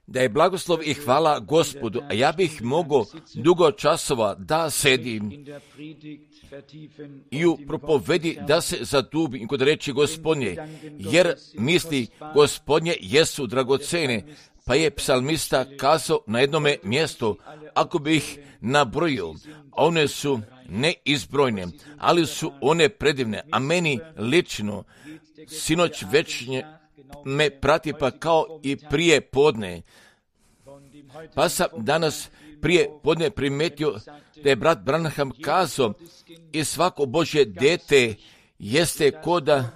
Da je blagoslov i hvala Gospodu, a ja bih mogao dugo časova da sedim i u propovedi da se zadubim kod reči Gospodnje, jer misli Gospodnje jesu dragocene, pa je psalmista kazao na jednome mjestu, ako bi ih nabrojio, one su neizbrojne, ali su one predivne, a meni lično sinoć večnje me prati pa kao i prije podne. Pa sam danas prije podne primetio da je brat Branham kazao i svako Božje dete jeste koda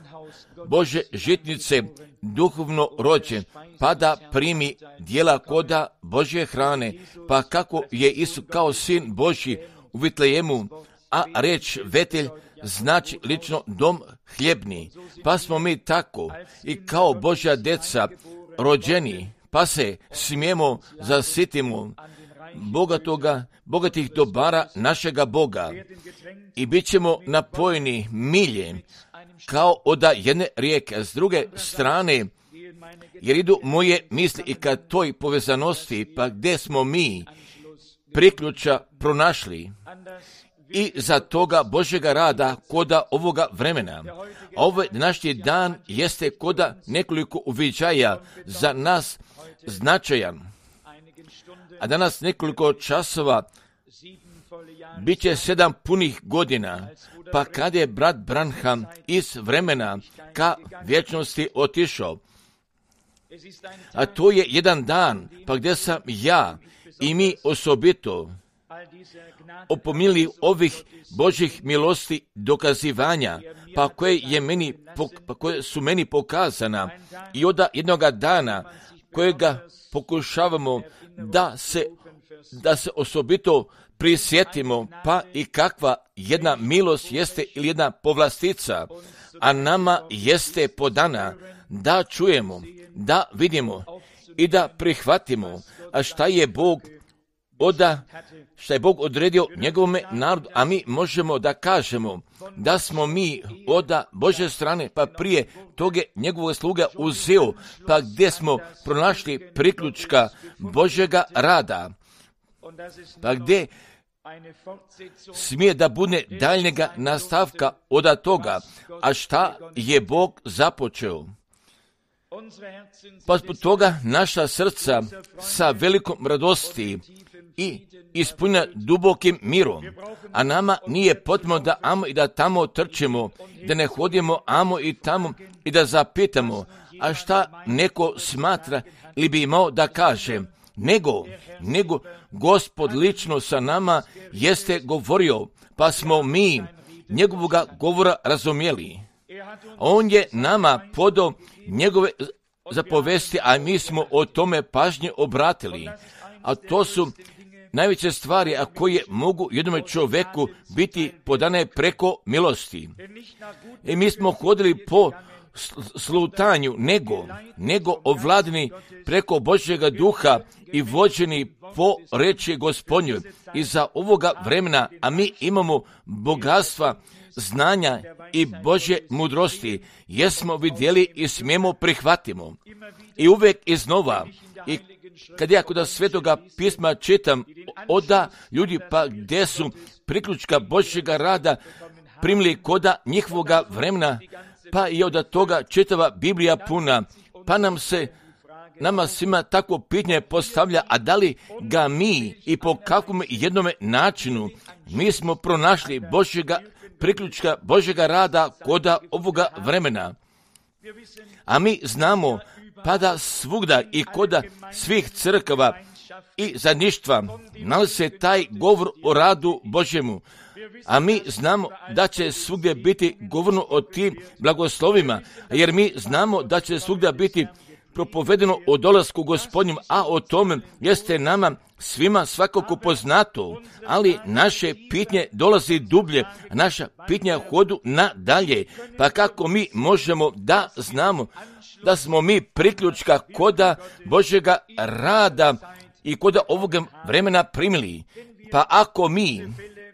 Bože žitnice duhovno rođen, pa da primi dijela koda Božje hrane, pa kako je Isus kao sin Božji u Vitlejemu, a reč Vetelj znači lično dom hljebni, pa smo mi tako i kao Božja deca rođeni, pa se smijemo zasitimo bogatih dobara našega Boga i bit ćemo napojeni miljem kao od jedne rijeke. S druge strane, jer idu moje misli i ka toj povezanosti, pa gdje smo mi priključa pronašli i za toga Božjega rada koda ovoga vremena. Ovaj današnji dan jeste koda nekoliko uviđaja za nas značajan. A danas nekoliko časova bit će 7 punih godina, pa kad je brat Branham iz vremena ka vječnosti otišao. A to je jedan dan, pa gdje sam ja i mi osobito opomili ovih Božjih milosti dokazivanja, pa koje su meni pokazana i od jednoga dana kojega pokušavamo da se osobito prisjetimo, pa i kakva jedna milost jeste ili jedna povlastica, a nama jeste podana da čujemo, da vidimo i da prihvatimo, a šta je Bog odredio njegovome narodu, a mi možemo da kažemo da smo mi od Božje strane, pa prije toga njegovog sluga uzeo, pa gdje smo pronašli priključka Božjega rada, pa gdje smije da bude daljnjega nastavka od toga, a šta je Bog započeo. Pa zbog toga naša srca sa velikom radosti i ispunjena dubokim mirom, a nama nije potrebno da amo i da tamo trčimo, da ne hodimo amo i tamo i da zapitamo, a šta neko smatra ili bi imao da kaže, nego Gospod lično sa nama jeste govorio, pa smo mi njegovoga govora razumjeli. On je nama podao njegove zapovesti, a mi smo o tome pažnje obratili. A to su najveće stvari, a koje mogu jednome čovjeku biti podane preko milosti. I mi smo hodili po slutanju, nego ovladni preko Božjega duha i vođeni po reči Gospodnjoj. I za ovoga vremena, a mi imamo bogatstva, znanja i Božje mudrosti, jesmo vidjeli i smijemo prihvatimo. I uvijek iznova, i kad ja kod Svetoga pisma čitam oda ljudi pa gdje su priključka Božjega rada primili koda njihovoga vremena, pa i od toga čitava Biblija puna, pa nama svima tako pitanje postavlja, a da li ga mi i po kakvom jednome načinu mi smo pronašli priključka Božjega rada koda ovoga vremena. A mi znamo pa da svugda i koda svih crkava i zajedništva nalazi se taj govor o radu Božjemu. A mi znamo da će svugdje biti govorno o tim blagoslovima, jer mi znamo da će svugdje biti propovedeno o dolasku Gospodnjem, a o tome jeste nama svima svakako poznato, ali naše pitnje dolazi dublje, naša pitnja hodu nadalje, pa kako mi možemo da znamo da smo mi priključka koda Božjega rada i koda ovoga vremena primili. Pa ako mi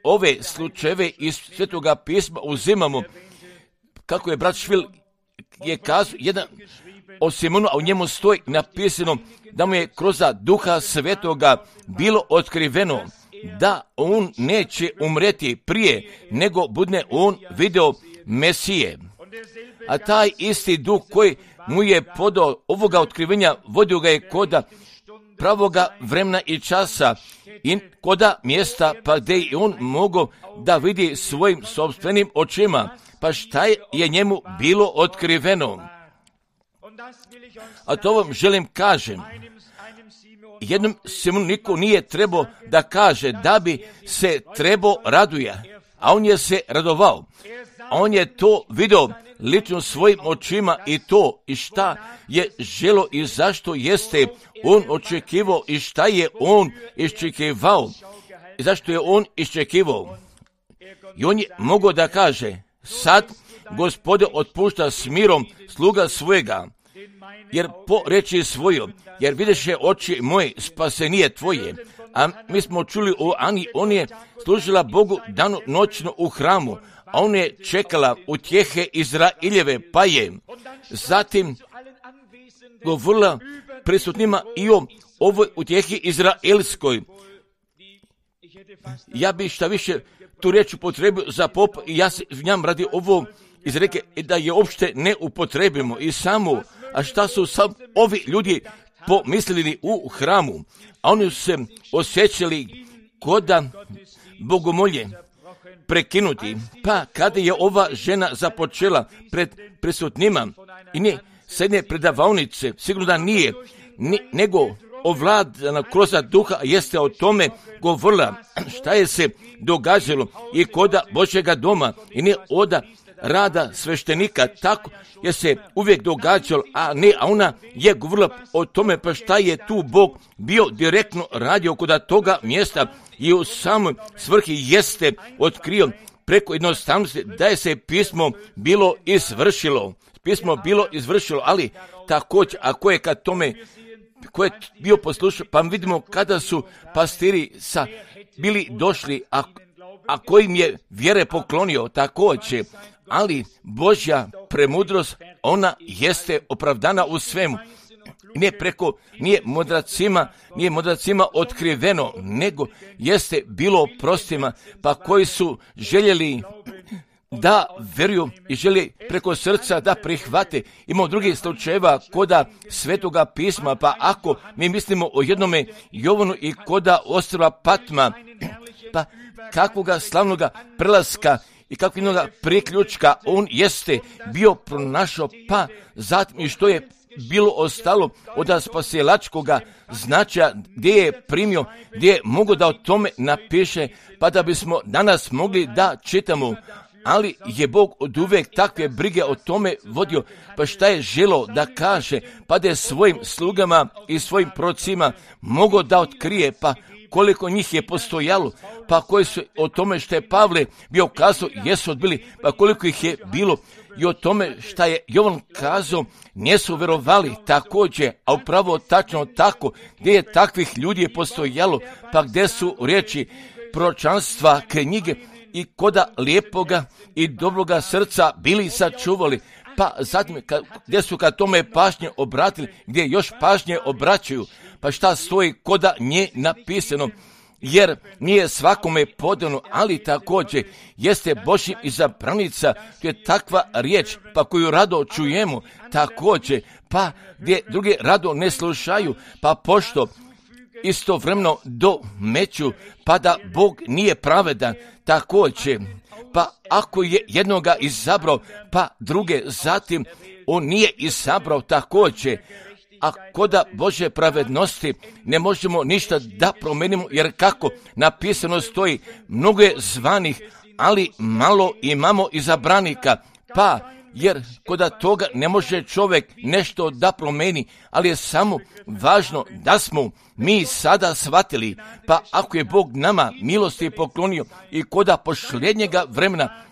ove slučajeve iz Svetoga pisma uzimamo, kako je brat Švil je kazao jedan o Simonu, a u njemu stoji napisano da mu je kroz Duha Svetoga bilo otkriveno da on neće umreti prije nego bude on video Mesije. A taj isti Duh koji mu je podao ovoga otkrivenja, vodio ga je koda pravoga vremena i časa i koda mjesta pa gdje je on mogao da vidi svojim sopstvenim očima, pa šta je njemu bilo otkriveno. A to vam želim kažem. Jednom Simonu niko nije trebao da kaže da bi se trebao raduje, a on je se radovao. On je to vidio lično svojim očima i to i šta je želo i zašto jeste on očekivao i šta je on iščekivao i zašto je on iščekivao. I on je mogao da kaže, sad Gospode otpušta s mirom sluga svojega, jer po reči svojom, jer videše oči moje spasenije tvoje. A mi smo čuli o Ani, on je služila Bogu danu noćno u hramu, a on je čekala utjehe Izraeljeve, pa je zatim govorila prisutnima i o ovoj utjehi izraelskoj. Ja bi šta više tu riječ upotrebio za pop i ja se njam radi ovo izreke da je uopšte ne upotrebimo i samo, a šta su sam ovi ljudi pomislili u hramu, a oni su se osjećali koda bogomolje prekinuti. Pa kada je ova žena započela pred prisutnima i ne s jedne predavaonice, sigurno da nije, nego ovladana kroz Duha jeste o tome govorila šta je se događalo i koda Božjega doma i ne oda rada sveštenika, tako je se uvijek događalo, a ona je govorila o tome pa šta je tu Bog bio direktno radio kod toga mjesta i u samoj svrhi jeste otkrio preko jednostavnosti da je se pismo bilo izvršilo. Pismo bilo izvršilo, ali također, ako je kad tome ko je bio poslušao, pa vidimo kada su pastiri bili došli, a kojim je vjere poklonio također, ali Božja premudrost, ona jeste opravdana u svemu. Nije mudracima otkriveno, nego jeste bilo prostima, pa koji su željeli da veruju i želi preko srca da prihvate. Imamo drugih slučajeva koda Svetoga pisma, pa ako mi mislimo o jednome Jovanu i koda ostrva Patma, pa kakvoga slavnoga prelaska i kakvinoga priključka on jeste bio pronašao, pa zatim i što je bilo ostalo od spasilačkoga značaja, gdje je primio, gdje je mogo da o tome napiše, pa da bismo danas mogli da čitamo. Ali je Bog od uvijek takve brige o tome vodio, pa šta je želo da kaže, pa da je svojim slugama i svojim prorocima mogao da otkrije, pa koliko njih je postojalo, pa koji su o tome što je Pavle bio kazao, jesu odbili, pa koliko ih je bilo i o tome šta je Jovan kazao, nisu verovali također, a upravo tačno tako, gdje je takvih ljudi je postojalo, pa gdje su riječi proročanstva, knjige, i koda lijepoga i dobroga srca bili sačuvali, pa zatim gdje su kad tome pažnje obratili, gdje još pažnje obraćaju, pa šta stoji koda nje napisano, jer nije svakome podano, ali također jeste Božja izabranica, to je takva riječ, pa koju rado čujemo, također, pa gdje drugi rado ne slušaju, pa pošto istovremeno domeću, pa da Bog nije pravedan, također, pa ako je jednoga izabrao, pa druge zatim on nije izabrao također, a koda Božje pravednosti ne možemo ništa da promenimo, jer kako napisano stoji, mnogo je zvanih, ali malo imamo izabranika, pa jer koda toga ne može čovjek nešto da promeni, ali je samo važno da smo mi sada shvatili, pa ako je Bog nama milosti poklonio i koda posljednjega vremena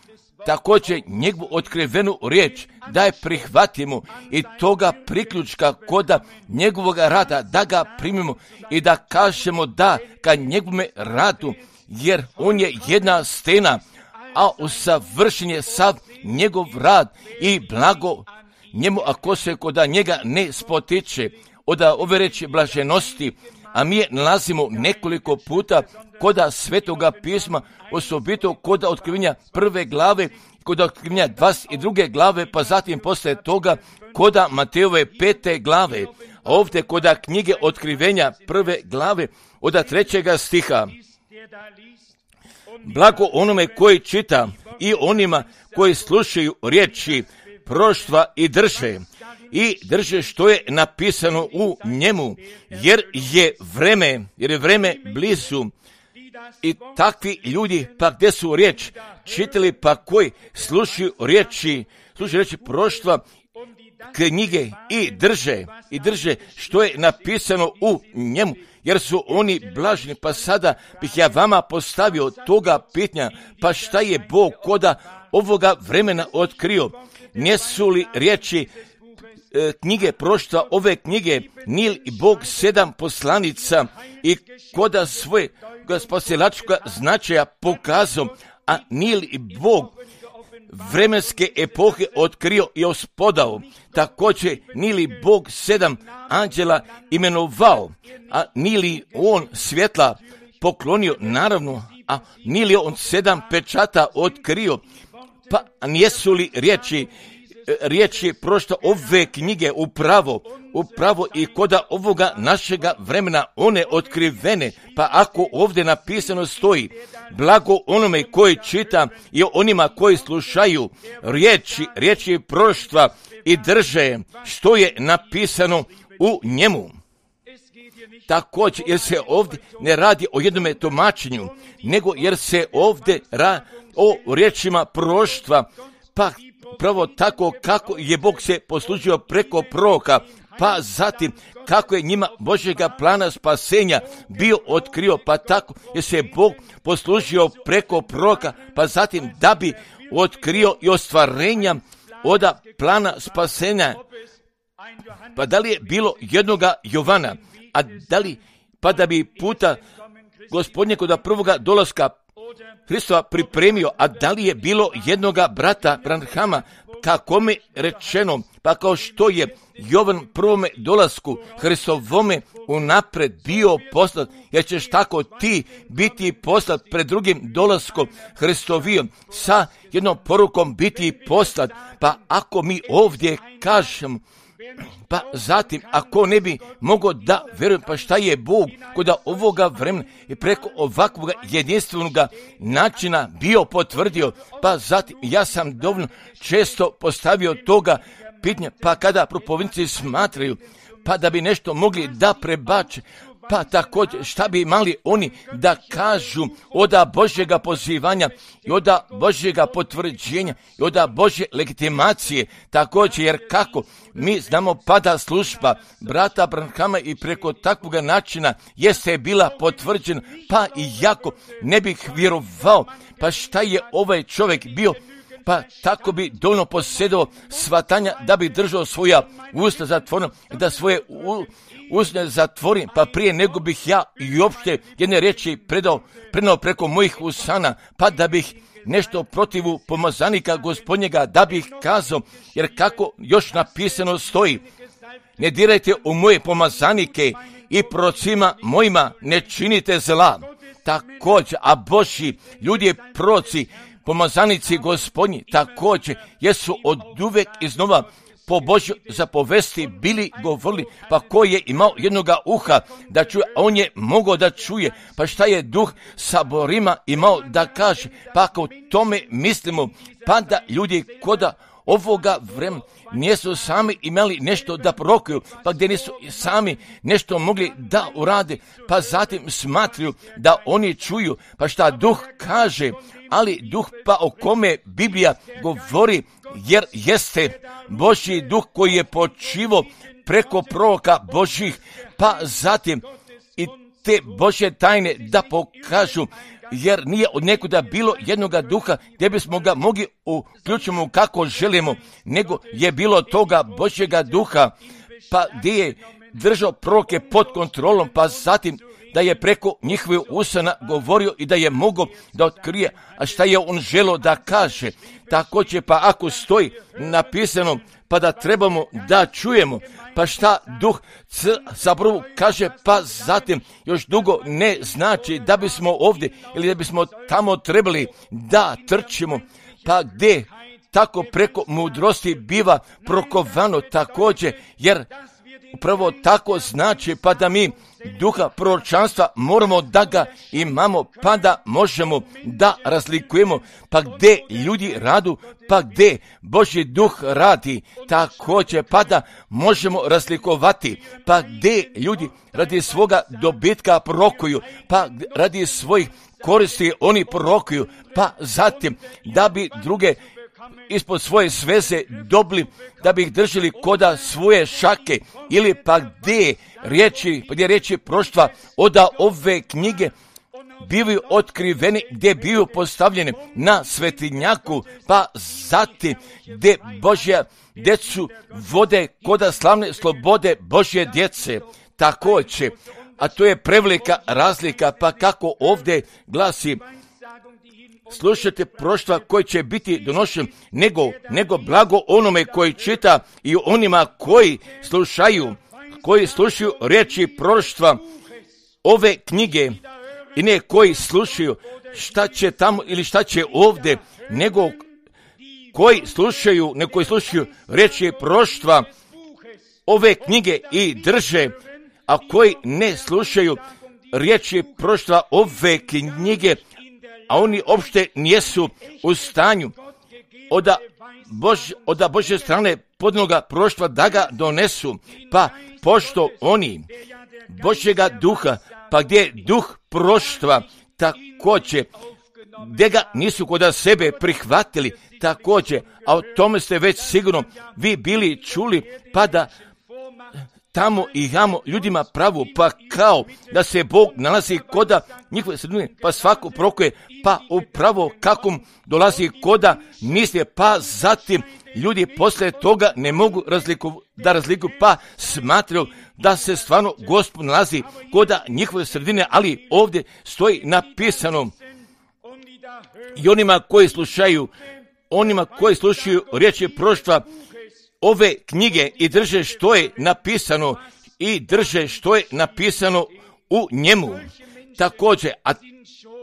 također njegovu otkrivenu riječ da je prihvatimo i toga priključka koda njegovog rada da ga primimo i da kažemo da ka njegovome radu, jer on je jedna stena, a usavršen je sav njegov rad i blago njemu, ako se koda njega ne spotiče, od ove reči blaženosti, a mi je nalazimo nekoliko puta koda Svetoga pisma, osobito koda otkrivenja 1. glave, koda otkrivenja 22. glave, pa zatim posle toga koda Matejove 5. glave, a ovdje koda knjige otkrivenja 1. glave, od 3. stiha. Blago onome koji čita i onima koji slušaju riječi proroštva i drže što je napisano u njemu, jer je vreme blizu. I takvi ljudi, pa gdje su riječ čitali, pa koji slušaju riječi proroštva, knjige i drže što je napisano u njemu, jer su oni blažni. Pa sada bih ja vama postavio toga pitanja, pa šta je Bog koda ovoga vremena otkrio? Nisu li riječi knjige proroštva, ove knjige, nije li Bog 7 poslanica i koda svoje spasilačkoga značaja pokazao, a nije li Bog vremenske epohe otkrio i ospodao? Također, nije li Bog 7 anđela imenovao, a nije li on svjetla poklonio, naravno, a nije li on 7 pečata otkrio? Pa nijesu li riječi prošta ove knjige upravo i koda ovoga našega vremena one otkrivene? Pa ako ovdje napisano stoji, blago onome koji čita i onima koji slušaju riječi proroštva i drže što je napisano u njemu. Također, jer se ovdje ne radi o jednome tumačenju, nego jer se ovdje radi o riječima proroštva, pa pravo tako kako je Bog se poslužio preko proroka, pa zatim kako je njima Božjega plana spasenja bio otkrio, pa tako je se Bog poslužio preko proroka, pa zatim da bi otkrio i ostvarenja od plana spasenja. Pa da li je bilo jednoga Jovana, a da li, pa da bi puta Gospodnje kod prvoga dolaska Hristova pripremio, a da li je bilo jednoga brata Branhama, kako mi rečeno, pa kao što je Jovan prvome dolasku Hristovome unapred bio poslat, jer ćeš tako ti biti poslat pred drugim dolaskom Hristovijom, sa jednom porukom biti poslat. Pa ako mi ovdje kažemo, pa zatim, ako ne bi mogao da vjerujem, pa šta je Bog kod ovoga vremena i preko ovakvog jedinstvenog načina bio potvrdio, pa zatim ja sam dovoljno često postavio toga pitanja, pa kada propovjednici smatraju, pa da bi nešto mogli da prebače, pa također šta bi imali oni da kažu od Božjega pozivanja i od Božjega potvrđenja i od Božje legitimacije, također, jer kako mi znamo pada služba brata Branhama i preko takvog načina jeste bila potvrđena, pa i jako ne bih vjerovao, pa šta je ovaj čovjek bio, pa tako bi dovoljno posjedao svatanja da bi držao svoja usta zatvorena, da svoje usta zatvorim, pa prije nego bih ja i uopšte jedne riječi predao preko mojih usana, pa da bih nešto protivu pomazanika Gospodnjega da bih kazao, jer kako još napisano stoji, ne dirajte u moje pomazanike i prorocima mojima ne činite zla. Također, a Božji ljudi proroci, pomazanici Gospodnji, također jesu od uvek iznova po Božju zapovesti bili govorili, pa ko je imao jednoga uha da čuje, a on je mogao da čuje, pa šta je duh saborima imao da kaže, pa ako tome mislimo, pa da ljudi koda ovoga vremena nisu sami imali nešto da prorokuju, pa gdje nisu sami nešto mogli da urade, pa zatim smatraju da oni čuju, pa šta duh kaže, ali duh pa o kome Biblija govori, jer jeste Božji duh koji je počivo preko proroka Božjih, pa zatim i te Božje tajne da pokažu, jer nije od nekuda bilo jednoga duha gdje bismo ga mogli uključiti kako želimo, nego je bilo toga Božjega duha, pa gdje je držao proroke pod kontrolom, pa zatim da je preko njihovih usana govorio i da je mogao da otkrije, a šta je on želio da kaže. Također, pa ako stoji napisano, pa da trebamo da čujemo, pa šta Duh zapravo kaže, pa zatim još dugo ne znači da bismo ovdje ili da bismo tamo trebali da trčimo, pa gdje tako preko mudrosti biva prokovano također, jer upravo tako znači pa da mi duha proročanstva moramo da ga imamo, pa da možemo da razlikujemo, pa gdje ljudi radu, pa gdje Božji duh radi također, pa da možemo razlikovati, pa gdje ljudi radi svoga dobitka prorokuju, pa radi svojih koristi oni prorokuju, pa zatim da bi druge ispod svoje sveze dobili, da bi ih držali koda svoje šake, ili pa gdje riječi proštva oda ove knjige bivaju otkriveni, gdje bivaju postavljeni na svetinjaku, pa zatim gdje Božja djecu vode koda slavne slobode Božje djece također, a to je prevelika razlika, pa kako ovdje glasi, slušajte proštva koji će biti donošen, nego blago onome koji čita i onima koji slušaju riječi proroštva ove knjige, i ne koji slušaju šta će tamo ili šta će ovdje, nego koji slušaju riječi proroštva ove knjige i drže, a koji ne slušaju riječi proroštva ove knjige, a oni uopšte nijesu u stanju od Božje strane podnoga proroštva da ga donesu, pa pošto oni Božjega duha, pa gdje duh proroštva također, gdje ga nisu kod sebe prihvatili također, a o tome ste već sigurno vi bili čuli, pa da tamo i jamo ljudima pravu, pa kao da se Bog nalazi koda njihove sredine, pa svako prokuje, pa upravo kakom dolazi koda misle, pa zatim ljudi poslije toga ne mogu razlikuju, pa smatraju da se stvarno Gospod nalazi koda njihove sredine, ali ovdje stoji napisano i onima koji slušaju riječi proroštva ove knjige i drže što je napisano u njemu također, a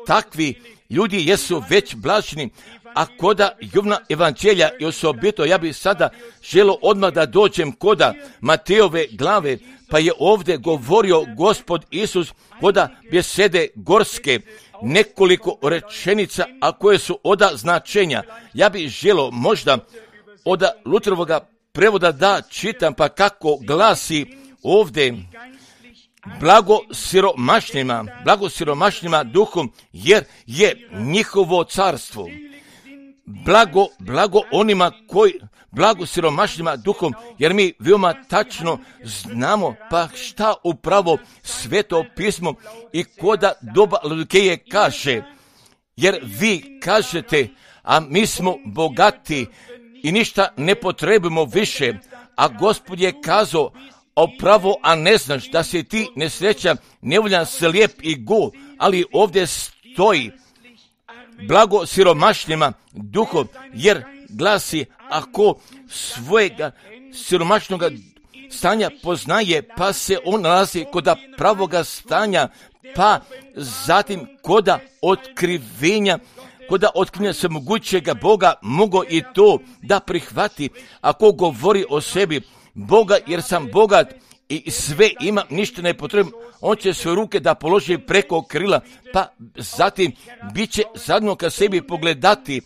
takvi ljudi jesu već blaženi. A koda Jovna evanđelja i osobito, ja bih sada želio odmah da dođem koda Matejove glave, pa je ovdje govorio Gospod Isus koda besede gorske, nekoliko rečenica, a koje su oda značenja. Ja bih želio možda od Luterovoga prevoda da čitam, pa kako glasi ovdje: blago siromašnima duhom, jer je njihovo carstvo. Blago onima blago siromašnima duhom, jer mi veoma tačno znamo pa šta upravo Sveto pismo i koda doba Laodikeje kaže, jer vi kažete, a mi smo bogati i ništa ne potrebujemo više, a Gospod je kazao, opravo, a ne znaš da si ti nesrećan, nevoljan, slijep i go, ali ovdje stoji blago siromašnima duhom, jer glasi, ako svojega siromašnog stanja poznaje, pa se on nalazi kod pravoga stanja, pa zatim koda otkrivenja svemogućega Boga mogo i to da prihvati. Ako govori o sebi Boga, jer sam bogat i sve ima, ništa ne potrebno, on će svoje ruke da položi preko krila, pa zatim bit će zadno ka sebi pogledati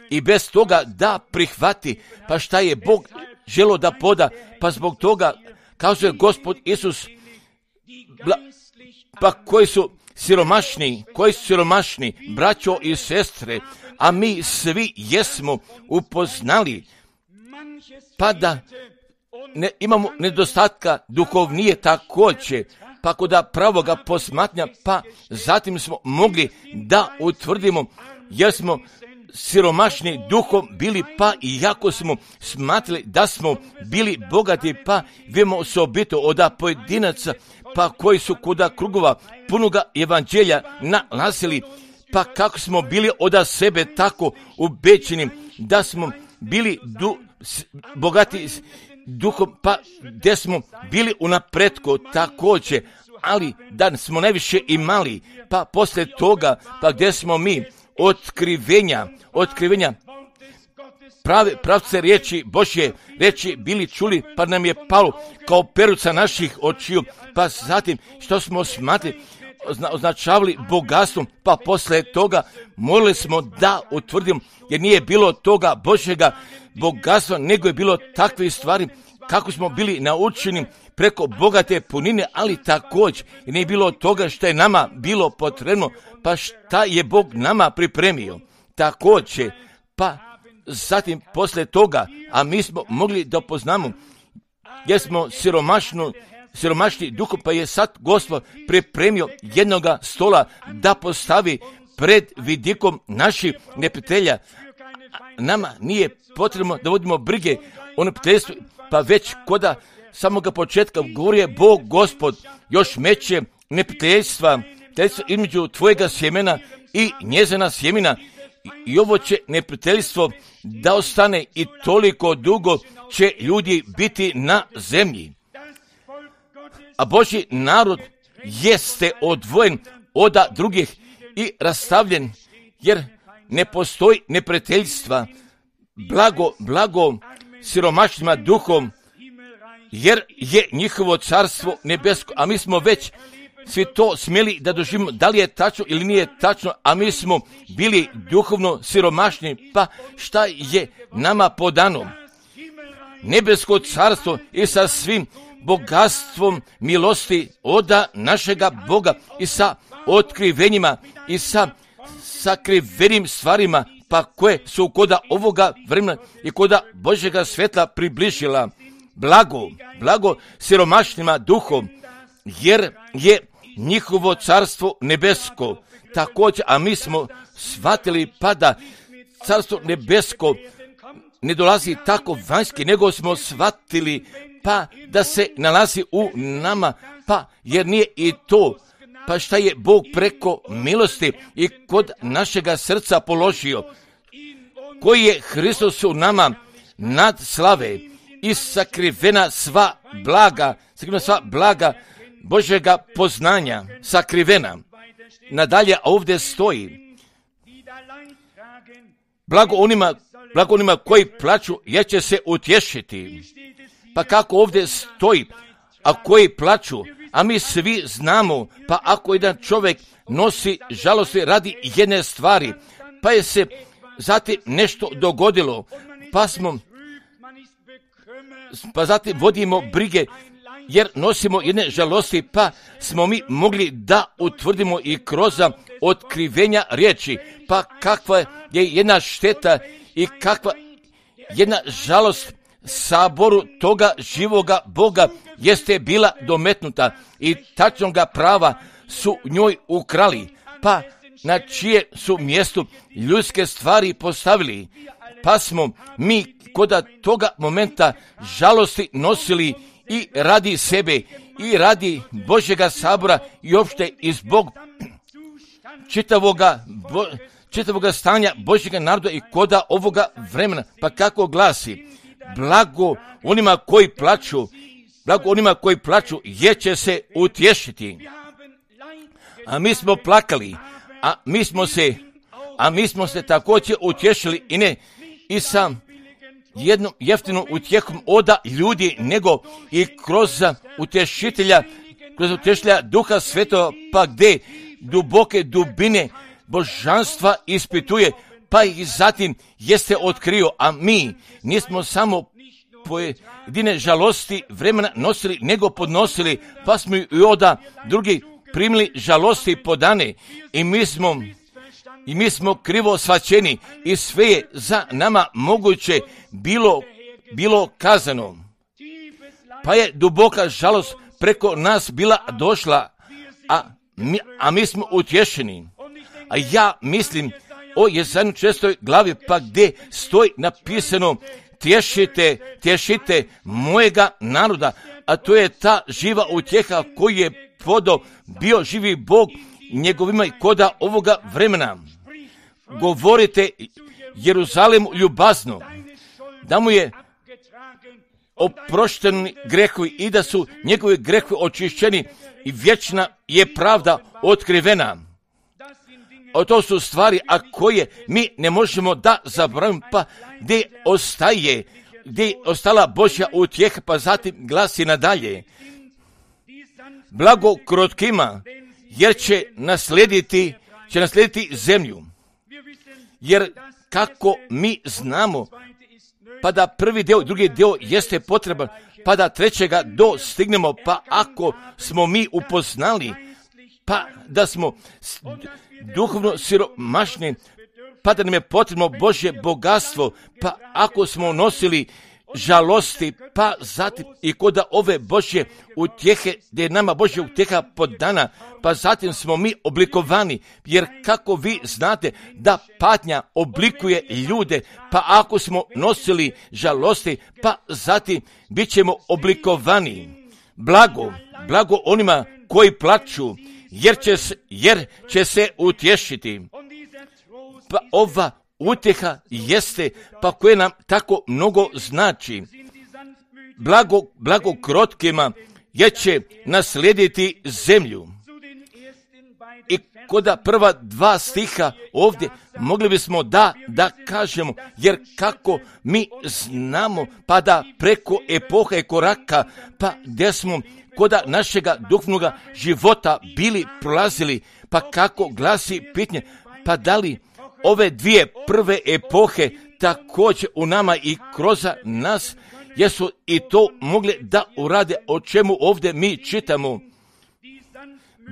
i bez toga da prihvati. Pa šta je Bog želio da poda? Pa zbog toga kazuje Gospod Isus, pa koji su siromašni, braćo i sestre, a mi svi jesmo upoznali, pa da imamo nedostatka duhovnije također, pa kod pravoga posmatnja, pa zatim smo mogli da utvrdimo jer smo siromašni duhom bili, pa iako smo smatrali da smo bili bogati, pa vidimo osobito od pojedinaca, pa koji su kod krugova punoga evanđelja nalazili, pa kako smo bili od sebe tako ubeđeni da smo bili bogati duhom, pa gdje smo bili u napretku također, ali da smo najviše imali, pa poslije toga, pa gdje smo mi otkrivenja pravce riječi Božje reći bili čuli, pa nam je palo kao peruca naših očiju, pa zatim što smo smatrali označavali bogatstvom, pa poslije toga molili smo da utvrdimo, jer nije bilo toga Božjega bogatstva, nego je bilo takve stvari kako smo bili naučeni preko bogate punine, ali također i nije bilo toga što je nama bilo potrebno, pa šta je Bog nama pripremio. Također, pa zatim poslije toga, a mi smo mogli da poznamo, jer smo siromašni duhom, pa je sad Gospod pripremio jednoga stola da postavi pred vidikom naših neprijatelja. Nama nije potrebno da vodimo brige o neprijateljstvu, pa već koda samoga početka govori je Bog Gospod još meće neprijateljstva između tvojega sjemena i njezina sjemena, i ovo će neprijateljstvo da ostane i toliko dugo će ljudi biti na zemlji. A Božji narod jeste odvojen od drugih i rastavljen, jer ne postoji neprijateljstva. Blago siromašnima duhom, jer je njihovo carstvo nebesko, a mi smo već svi to smjeli da doživimo, da li je tačno ili nije tačno, a mi smo bili duhovno siromašni, pa šta je nama podano? Nebesko carstvo i sa svim bogatstvom milosti od našega Boga i sa otkrivenjima i sa sakrivenim stvarima, pa koje su koda ovoga vremena i koda Božjega svjetla približila. Blago siromašnima duhom, jer je njihovo carstvo nebesko. Također, a mi smo shvatili pa da carstvo nebesko ne dolazi tako vanjski, nego smo shvatili pa da se nalazi u nama, pa jer nije i to, pa šta je Bog preko milosti i kod našega srca položio, koji je Hristos u nama nad slave i sakrivena sva blaga Božjega poznanja, sakrivena. Nadalje ovdje stoji, blago onima koji plaču, jer će se utješiti. Pa kako ovdje stoji, a koji plaču, a mi svi znamo, pa ako jedan čovjek nosi žalosti radi jedne stvari, pa je se zatim nešto dogodilo, pa zatim vodimo brige, jer nosimo jedne žalosti, pa smo mi mogli da utvrdimo i kroz otkrivenja riječi, pa kakva je jedna šteta i kakva jedna žalost saboru toga živoga Boga jeste bila dometnuta i tačnoga prava su njoj ukrali, pa na čije su mjestu ljudske stvari postavili, pa smo mi kod toga momenta žalosti nosili i radi sebe i radi Božjega sabora i opšte i zbog čitavoga stanja Božjega naroda i koda ovoga vremena. Pa kako glasi, blago onima koji plaču, jer će se utješiti. A mi smo plakali, a mi smo se također utješili i sa jednom jeftinom utjehom od ljudi, nego i kroz utješitelja Duha Svetova, pa gdje duboke dubine božanstva ispituje, pa ih zatim jeste otkrio, a mi nismo samo pojedine žalosti vremena nosili, nego podnosili, pa smo i od drugi primili žalosti podane i mi smo krivo shvaćeni i sve je za nama moguće bilo kazano. Pa je duboka žalost preko nas bila došla, a mi smo utješeni. A ja mislim o Jesaja 6. glavi, pa gdje stoji napisano tješite mojega naroda, a to je ta živa utjeha koju je podao bio živi Bog njegovima i koda ovoga vremena. Govorite Jeruzalemu ljubazno, da mu je oprošteni grehovi i da su njegovi grehovi očišćeni i vječna je pravda otkrivena. O to su stvari, a koje mi ne možemo da zaboravimo, pa gdje je ostala Božja utjeha, pa zatim glasi nadalje. Blago krotkima, jer će naslijediti zemlju. Jer kako mi znamo, pa da prvi dio, drugi dio jeste potreban, pa da trećega dostignemo, pa ako smo mi upoznali, pa da smo duhovno siromašni, pa da nam je potrebno Božje bogatstvo, pa ako smo nosili žalosti, pa zatim i kod ove Božje utjehe, gdje je nama Božja utjeha podana, pa zatim smo mi oblikovani, jer kako vi znate da patnja oblikuje ljude, pa ako smo nosili žalosti, pa zatim bit ćemo oblikovani. Blago onima koji plaču, jer će se utješiti. Pa ova utjeha jeste, pa koje nam tako mnogo znači. Blago krotkima, jer će naslijediti zemlju. I kod prva dva stiha ovdje mogli bismo da kažemo, jer kako mi znamo, pa da preko epoha i koraka, pa gdje smo kod našega duhovnog života bili prolazili, pa kako glasi pitanje, pa da li ove dvije prve epohe također u nama i kroz nas jesu i to mogli da urade, o čemu ovdje mi čitamo.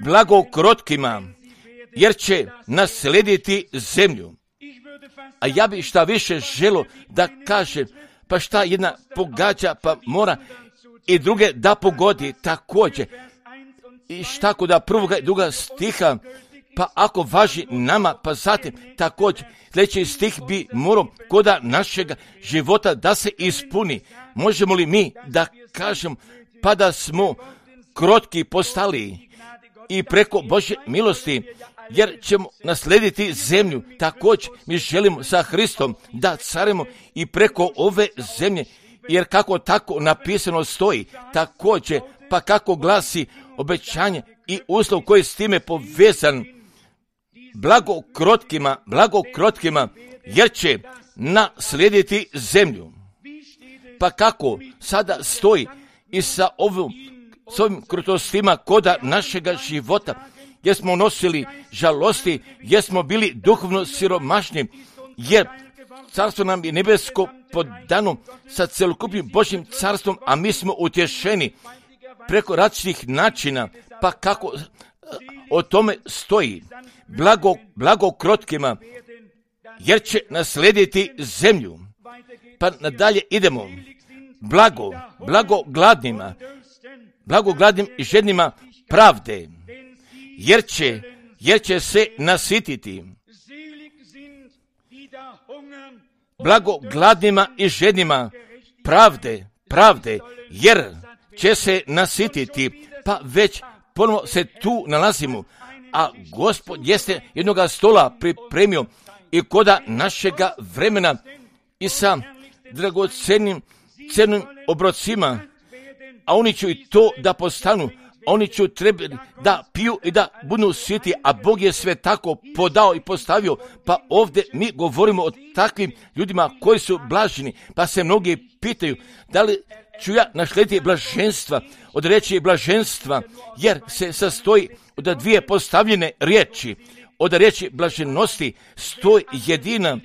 Blago krotkima, jer će naslijediti zemlju. A ja bi šta više želo da kažem, pa šta jedna pogađa, pa mora i druge da pogodi također. I šta kod prvoga i druga stiha, pa ako važi nama, pa zatim također sljedeći stih bi morao kod našeg života da se ispuni. Možemo li mi da kažem, pa da smo krotki postali i preko Božje milosti, jer ćemo naslijediti zemlju. Također mi želimo sa Hristom da carimo i preko ove zemlje, jer kako tako napisano stoji, također pa kako glasi obećanje i uslov koji je s time povezan. Blago krotkima, jer će naslijediti zemlju. Pa kako sada stoji i sa ovim krutostima koda našega života, jer smo nosili žalosti, jer smo bili duhovno siromašni, jer carstvo nam je nebesko podano sa celokupnim Božjim carstvom, a mi smo utješeni preko različitih načina, pa kako o tome stoji. Blago krotkima, jer će naslijediti zemlju. Pa nadalje idemo. Blago gladnim i žednima pravde, jer će se nasititi. Blago gladnima i žednima pravde, jer će se nasititi. Pa već ponovo se tu nalazimo, a Gospod jeste jednoga stola pripremio i koda našega vremena i sa dragocenim obrocima, a oni će i to da postanu, oni će trebati da piju i da budu siti, a Bog je sve tako podao i postavio. Pa ovdje mi govorimo o takvim ljudima koji su blaženi, pa se mnogi pitaju da li ću ja naslijediti blaženstva, od riječi blaženstva, jer se sastoji od dvije postavljene riječi. Od riječi blaženosti stoji jedina,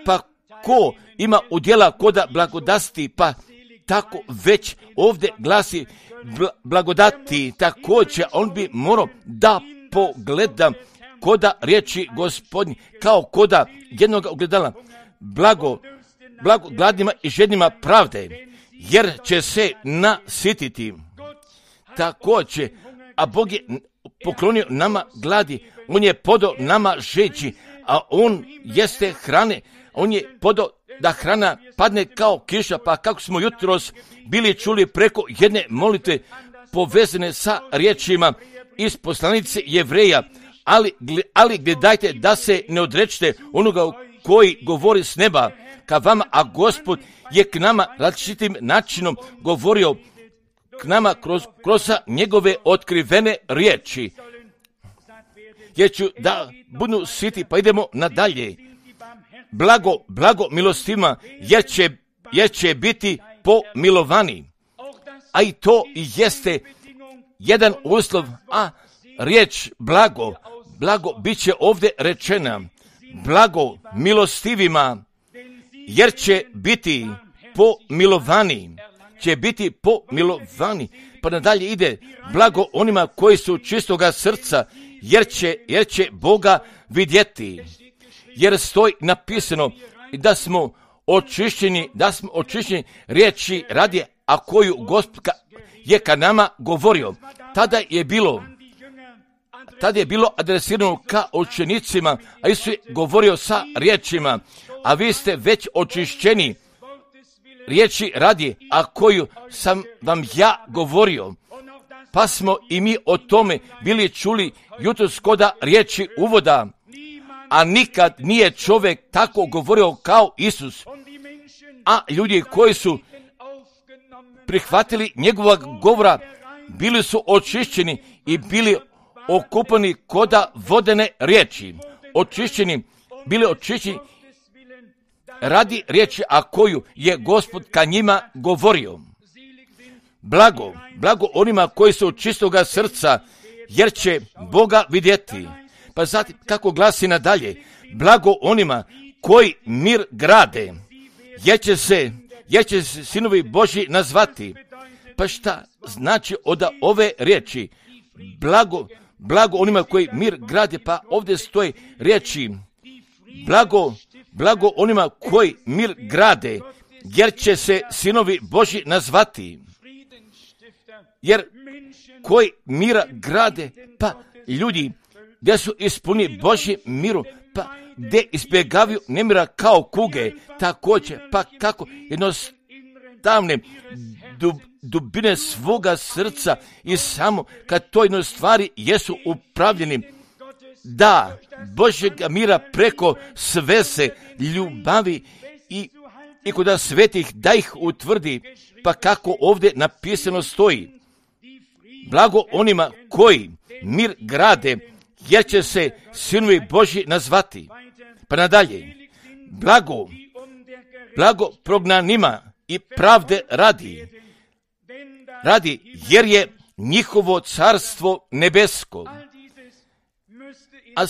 pa ko ima udjela koda blagodasti, pa tako već ovdje glasi blagodati, također on bi morao da pogleda koda riječi Gospodnji, kao koda jednog ogledala. Blago gladnima i žednima pravde, jer će se nasititi. Također, a Bog je poklonio nama gladi, on je podao nama žeđi, a on jeste hrane, on je podao da hrana padne kao kiša, pa kako smo jutros bili čuli preko jedne molitve povezane sa riječima iz poslanice Jevreja, ali gledajte da se ne odrečete onoga koji govori s neba ka vama, a Gospod je k nama različitim načinom govorio k nama kroz njegove otkrivene riječi. Jer ću da budu sviti, pa idemo nadalje. Blago milostivima, jer će biti pomilovani. A i to jeste jedan uslov, a riječ blago bit će ovdje rečena. Blago milostivima, jer će biti pomilovani. Pa nadalje ide, blago onima koji su čistoga srca, jer će Boga vidjeti. Jer stoji napisano da smo očišćeni riječi radi, a koju Gospod je ka nama govorio. Tada je bilo adresirano ka učenicima, a Isus je govorio sa riječima, a vi ste već očišćeni riječi radi, a koju sam vam ja govorio. Pa smo i mi o tome bili čuli jutros koda riječi uvoda, a nikad nije čovjek tako govorio kao Isus. A ljudi koji su prihvatili njegovog govora bili su očišćeni i bili okupani koda vodene riječi. Bili očišćeni radi riječi, a koju je Gospod ka njima govorio. Blago onima koji su čistoga srca, jer će Boga vidjeti. Pa zatim, kako glasi nadalje, blago onima koji mir grade, jer će se sinovi Božji nazvati. Pa šta znači od ove riječi? Blago onima koji mir grade, pa ovdje stoji riječi, blago onima koji mir grade, jer će se sinovi Božji nazvati. Jer koji mira grade, pa ljudi gdje su ispuni Božji miru, pa gdje izbjegavaju nemira kao kuge, također, pa kako jednostavne dubine svoga srca i samo kad to jedno stvari jesu upravljeni, da Božjega mira preko svese ljubavi i kod svetih da ih utvrdi, pa kako ovdje napisano stoji. Blago onima koji mir grade, jer će se sinovi Božji nazvati. Pa nadalje, blago prognanima i pravde radi, jer je njihovo carstvo nebesko. A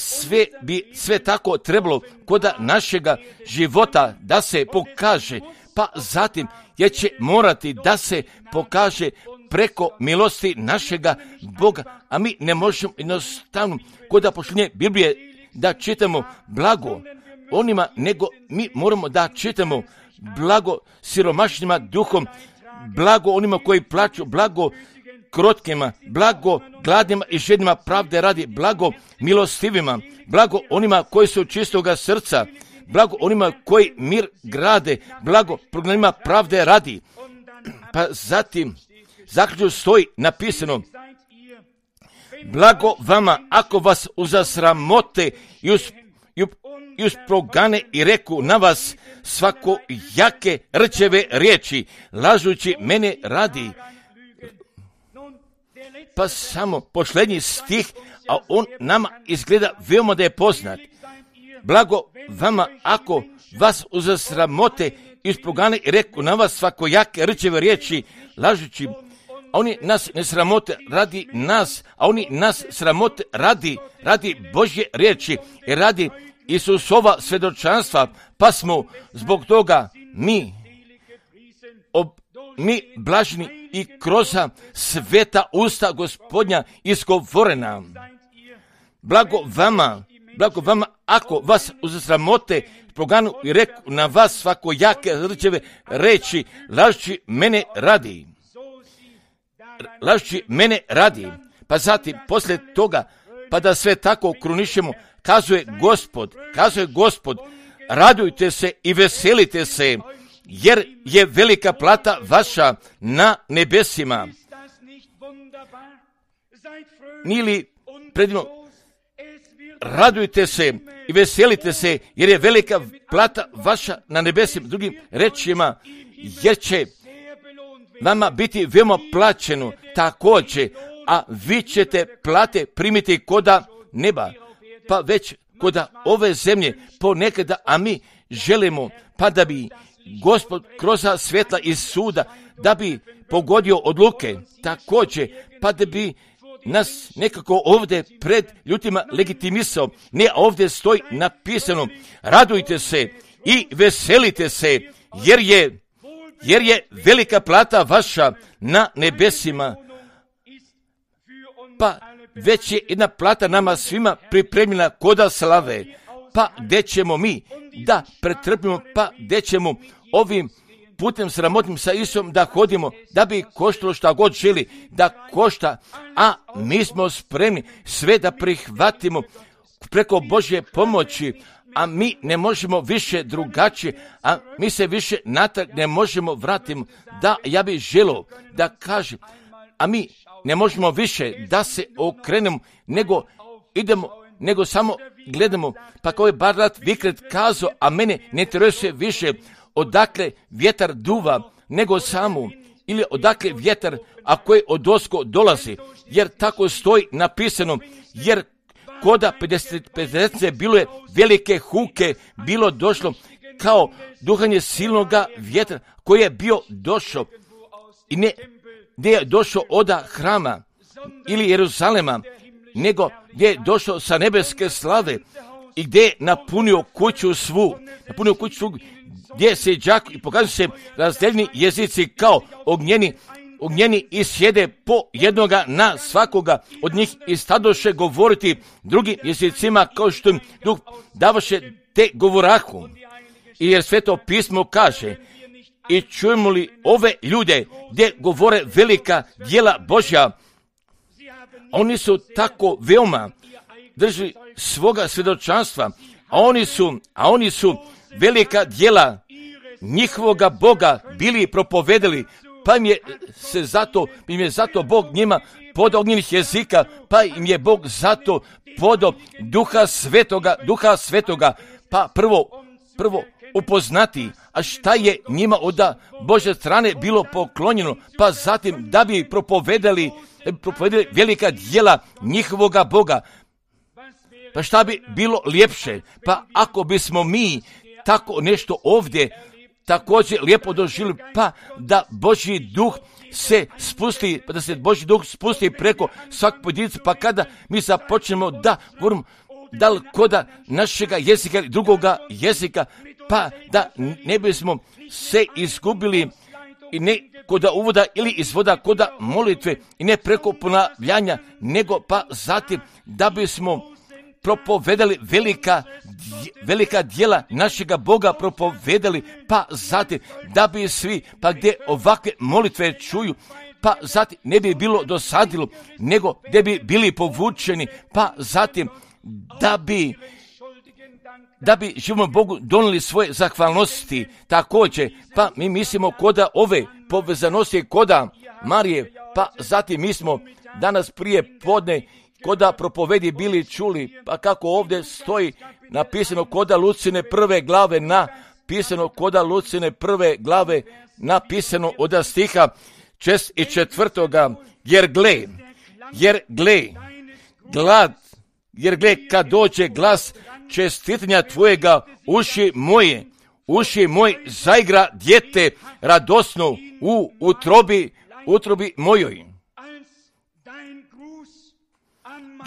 sve tako trebalo kod našega života da se pokaže, pa zatim jer će morati da se pokaže preko milosti našega Boga, a mi ne možemo jednostavno kod pošljenja Biblije da čitamo blago onima, nego mi moramo da čitamo blago siromašnima duhom, blago onima koji plaću, blago krotkima, blago gladnima i žednima pravde radi, blago milostivima, blago onima koji su čistoga srca, blago onima koji mir grade, blago prognanima pravde radi. Pa zatim zaključno stoji napisano, blago vama ako vas uzasramote i usprogane i reku na vas svako jake rčeve riječi, lažući mene radi. Pa samo posljednji stih, a on nama izgleda veoma da je poznat. Blago vama ako vas uzasramote i usprogane i reku na vas svako jake rčeve riječi, lažući. A oni nas ne sramote radi nas, a oni nas sramote radi Božje riječi i radi Isusova svjedočanstva, pa smo zbog toga mi blaženi i kroz sveta usta Gospodnja izgovorena. Blago vama ako vas uzasramote, proganu i reku na vas svako jake rčeve reći, lažući mene radi. Pa zatim, poslije toga, pa da sve tako krunišemo, kazuje Gospod, radujte se i veselite se, jer je velika plata vaša na nebesima. Nije li predivno? Radujte se i veselite se, jer je velika plata vaša na nebesima. Drugim rečima, jer će vama biti veoma plaćeno također, a vi ćete plate primiti koda neba, pa već koda ove zemlje ponekada, a mi želimo pa da bi Gospod kroz svjetla iz suda, da bi pogodio odluke također, pa da bi nas nekako ovdje pred ljudima legitimisao. Ne, ovdje stoji napisano, radujte se i veselite se, jer je velika plata vaša na nebesima. Pa već je jedna plata nama svima pripremljena koda slave, pa gdje ćemo mi da pretrpimo, pa gdje ćemo ovim putem sramotnim sa Isom da hodimo, da bi koštalo šta god želi da košta, a mi smo spremni sve da prihvatimo preko Božje pomoći, a mi ne možemo više drugačije, a mi se više natrag ne možemo vratiti. Da, ja bih želio da kažem, a mi ne možemo više da se okrenemo, nego idemo, nego samo gledamo, pa kao je Bart Vikret kazao, a mene ne interesuje više odakle vjetar duva, nego samo, ili odakle vjetar, a koji odosko dolazi, jer tako stoji napisano, jer koda 50 bilo je velike huke, bilo došlo kao duhanje silnoga vjetra koji je bio došao i ne je došao od hrama ili Jeruzalema, nego gdje je došao sa nebeske slave i gdje je napunio kuću svu, gdje se đak i pokazuju se razdeljeni jezici kao ognjeni i sjede po jednoga na svakoga od njih i stadoše govoriti drugim jezicima kao što im Duh davaše te govorahu. I jer Sveto pismo kaže, i čujemo li ove ljude gdje govore velika djela Božja, oni su tako veoma drži svoga svjedočanstva, a oni su velika djela njihovoga Boga bili propovedali, pa im je zato Bog njima podao ognjenih jezika, pa im je Bog zato podao Duha Svetoga, pa prvo upoznati, a šta je njima od Božje strane bilo poklonjeno, pa zatim da bi propovedali velika djela njihovoga Boga. Pa šta bi bilo ljepše, pa ako bismo mi tako nešto ovdje također lijepo doživjeli, pa da Božji duh se spusti, pa da se Božji duh spusti preko svakog pojedinca, pa kada mi započnemo da govorimo da li koda našega jezika ili drugoga jezika, pa da ne bismo se izgubili i ne koda uvoda ili izvoda koda molitve i ne preko ponavljanja, nego pa zatim da bismo propovedali velika djela našega Boga propovedali, pa zatim da bi svi, pa gdje ovakve molitve čuju, pa zatim ne bi bilo dosadilo, nego gdje bi bili povučeni, pa zatim da bi živom Bogu donijeli svoje zahvalnosti također, pa mi mislimo koda ove povezanosti koda Marije, pa zatim mi smo danas prije podne koda propovedi bili čuli, pa kako ovdje stoji napisano koda Lucine prve glave napisano od stiha 4. Jer gle, kad dođe glas čestitanja tvojega, uši moji zaigra dijete radosno u utrobi mojoj.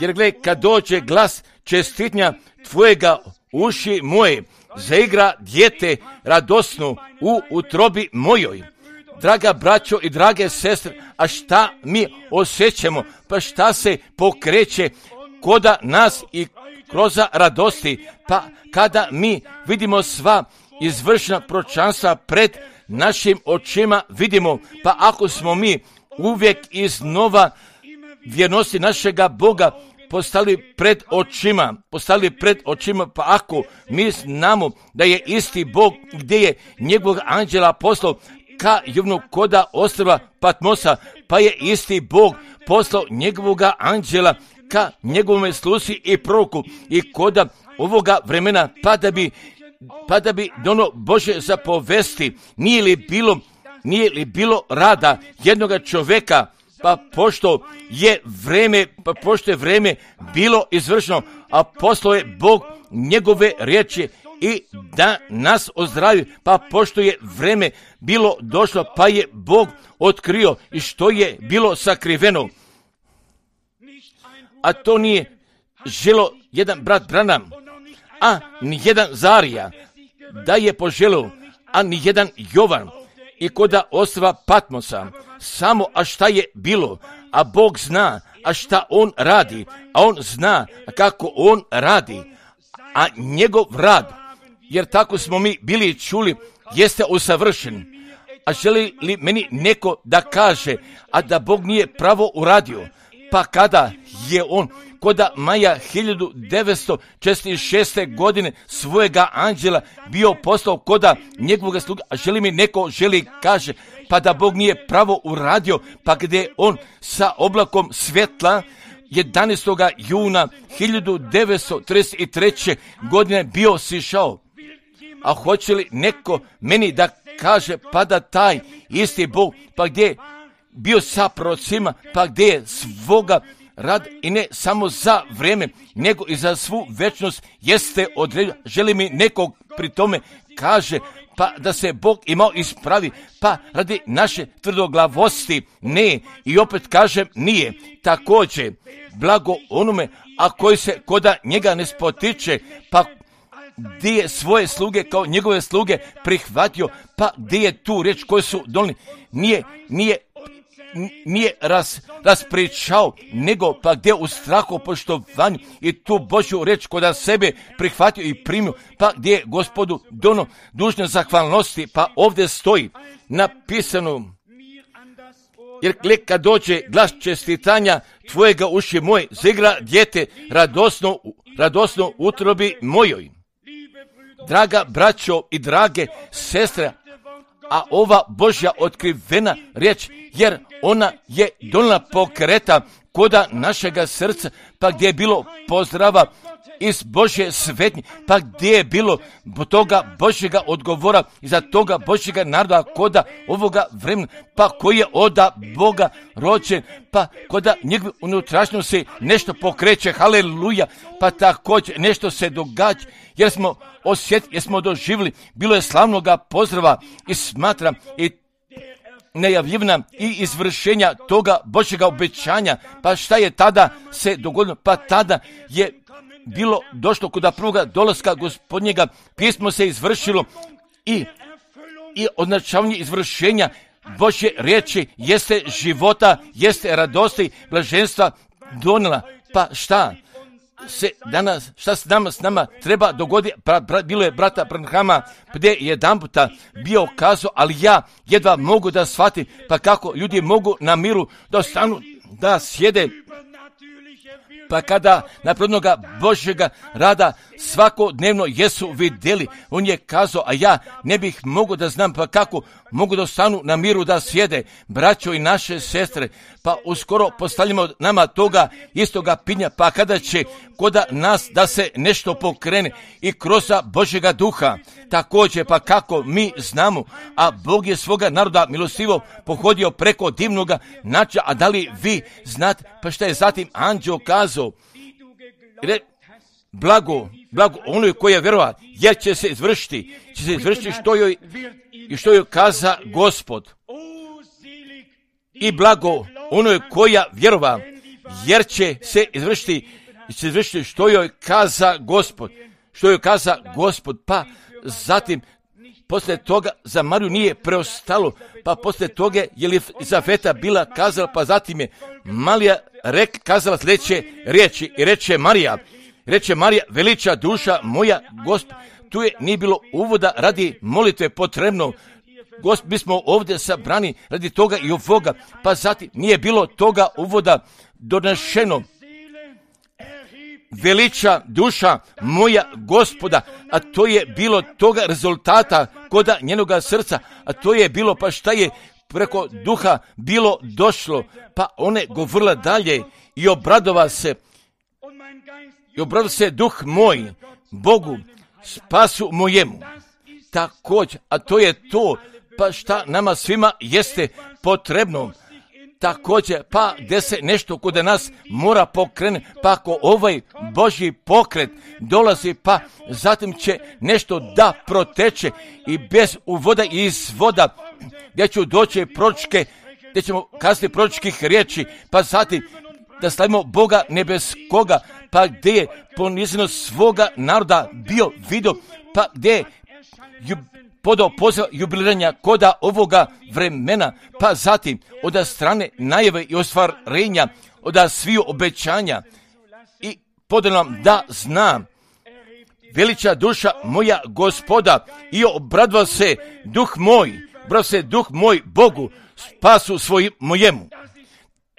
Jer gle, kad dođe glas čestitanja tvojega, uši moje zaigra dijete radosno u utrobi mojoj. Draga braćo i drage sestre, a šta mi osjećamo, pa šta se pokreće koda nas i kroz radosti, pa kada mi vidimo sva izvršena proročanstva pred našim očima vidimo, pa ako smo mi uvijek iznova vjernosti našega Boga postavili pred očima, pa ako mi znamo da je isti Bog gdje je njegovog anđela poslao ka Jovnu koda ostrva Patmosa, pa je isti Bog poslao njegovoga anđela ka njegovome sluzi i proroku i koda ovoga vremena, pa da bi dono Bože zapovesti. Nije li bilo rada jednoga čovjeka, pa pošto je vrijeme bilo izvršeno, a poslao je Bog njegove riječi i da nas ozdravi, pa pošto je vrijeme bilo došlo, pa je Bog otkrio i što je bilo sakriveno. A to nije želo jedan brat Branham, a ni jedan Zarija da je poželio, a ni jedan Jovan i koda ostrva Patmosa. Samo a šta je bilo, a Bog zna, a šta on radi, a on zna kako on radi, a njegov rad, jer tako smo mi bili čuli, jeste usavršen. A želi li meni neko da kaže, a da Bog nije pravo uradio, pa kada je on koda maja 1946. godine svojega anđela bio poslao koda njegovog sluga, a želi mi neko kaže, pa da Bog nije pravo uradio, pa gdje on sa oblakom svjetla 11. juna 1933. godine bio sišao. A hoće li neko meni da kaže, pa da taj isti Bog, pa gdje je bio sa prorocima, pa gdje je svoga rad i ne samo za vrijeme, nego i za svu večnost jeste odredio. Želi mi nekog pri tome kaže, pa da se Bog imao ispravi, pa radi naše tvrdoglavosti ne, i opet kažem nije. Također, blago onome, a koji se koda njega ne spotiče, pa gdje je svoje sluge kao njegove sluge prihvatio, pa gdje je tu riječ koju su donijeli, nije raspričao, nego pa gdje u strahu poštovanju i tu Božju riječ koda sebe prihvatio i primio, pa gdje je Gospodu dono dužne zahvalnosti, pa ovdje stoji napisano, jer kad dođe glas čestitanja tvojega uši moj, zigra dijete radosno utrobi mojoj. Draga braćo i drage sestre, a ova Božja otkrivena riječ, jer ona je donijela pokreta koda našega srca, pa gdje je bilo pozdrava iz Božje svetnje, pa gdje je bilo toga Božjega odgovora iza toga Božjega naroda koda ovoga vremena, pa koji je oda Boga rođen, pa koda njegov unutrašnjost se nešto pokreće, haleluja, pa također nešto se događa, jer smo doživjeli, bilo je slavnoga pozdrava i smatram i najavljivna i izvršenja toga Božjega obećanja. Pa šta je tada se dogodilo? Pa tada je bilo došlo kod prvoga dolaska Gospodnjega, pismo se izvršilo i označavanje izvršenja Božje riječi jeste života, jeste radosti, blaženstva donijela. Pa šta se nama treba dogoditi? Bilo je brata Branhama gdje jedan puta bio kazao, ali ja jedva mogu da shvatim, pa kako ljudi mogu na miru da stanu, da sjede, pa kada naprednoga Božjega rada svakodnevno jesu vidjeli, on je kazao, a ja ne bih mogu da znam, pa kako mogu da stanu na miru da sjede, braćo i naše sestre, pa uskoro postavljamo nama toga istoga pitanja, pa kada će koda nas da se nešto pokrene i kroz Božjega duha, također pa kako mi znamo, a Bog je svoga naroda milostivo pohodio preko divnoga načina, a da li vi znate, pa šta je zatim anđeo kazao, blago onoj koji je vjerova, jer će se izvršiti što joj kaza Gospod. I blago onoj koja vjerova, jer će se izvršiti što joj kaza Gospod. Pa zatim poslije toga za Mariju nije preostalo, pa poslije toga je li Zafeta bila kazala, pa zatim je Marija kazala sljedeće riječi i reče Marija, veliča duša moja Gospod. Tu je nije bilo uvoda radi molitve potrebno. Mi smo ovdje sabrani radi toga i ovoga, pa zatim nije bilo toga uvoda donešeno. veliča duša moja Gospoda, a to je bilo toga rezultata koda njenoga srca, a to je bilo pa šta je preko duha bilo došlo, pa one govorila dalje i obradova se duh moj Bogu, spasu mojemu. Također, a to je to, pa šta nama svima jeste potrebno. Također, pa gdje se nešto kod nas mora pokrenuti, pa ako ovaj Božji pokret dolazi, pa zatim će nešto da proteče i bez uvoda i izvoda, gdje ću doći proročke, gdje ćemo kazati proročkih riječi, pa zatim da slavimo Boga nebeskoga, pa gdje je poniznost svoga naroda bio vidio, pa gdje je podao poziv jubiliranja koda ovoga vremena, pa zatim od strane najave i ostvarenja, od sviju obećanja i podao nam da znam veliča duša moja Gospoda i obradva se duh moj Bogu, spasu svojim mojemu.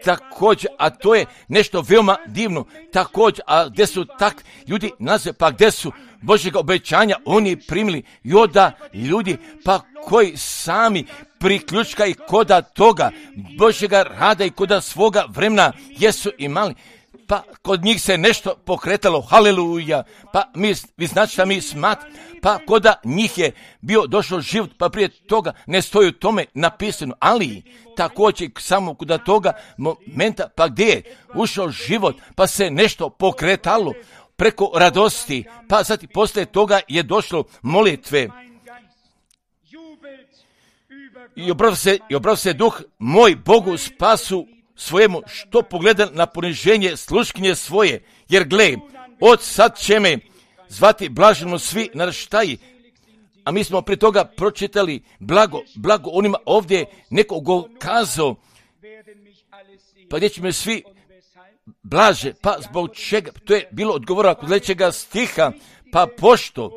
Također, a to je nešto veoma divno, također, a gdje su tak ljudi nazve, pa gdje su Božjega obećanja oni primili i oda ljudi, pa koji sami priključkaju koda toga Božjega rada i koda svoga vremena jesu imali, pa kod njih se nešto pokretalo, haleluja, pa vi znači šta mi smatramo, pa koda njih je bio došao život, pa prije toga ne stoji u tome napisano, ali također samo kod toga momenta, pa gdje je ušao život, pa se nešto pokretalo preko radosti, pa zatim poslije toga je došlo molitve. I obrao se duh moj Bogu spasu svojemu, što pogleda na poniženje sluškinje svoje, jer gle, od sad će me zvati blaženo svi naraštaji. A mi smo prije toga pročitali blago onima ovdje neko go kazao, pa gdje će me svi blaže, pa zbog čega, to je bilo odgovora kod sledećega stiha, pa pošto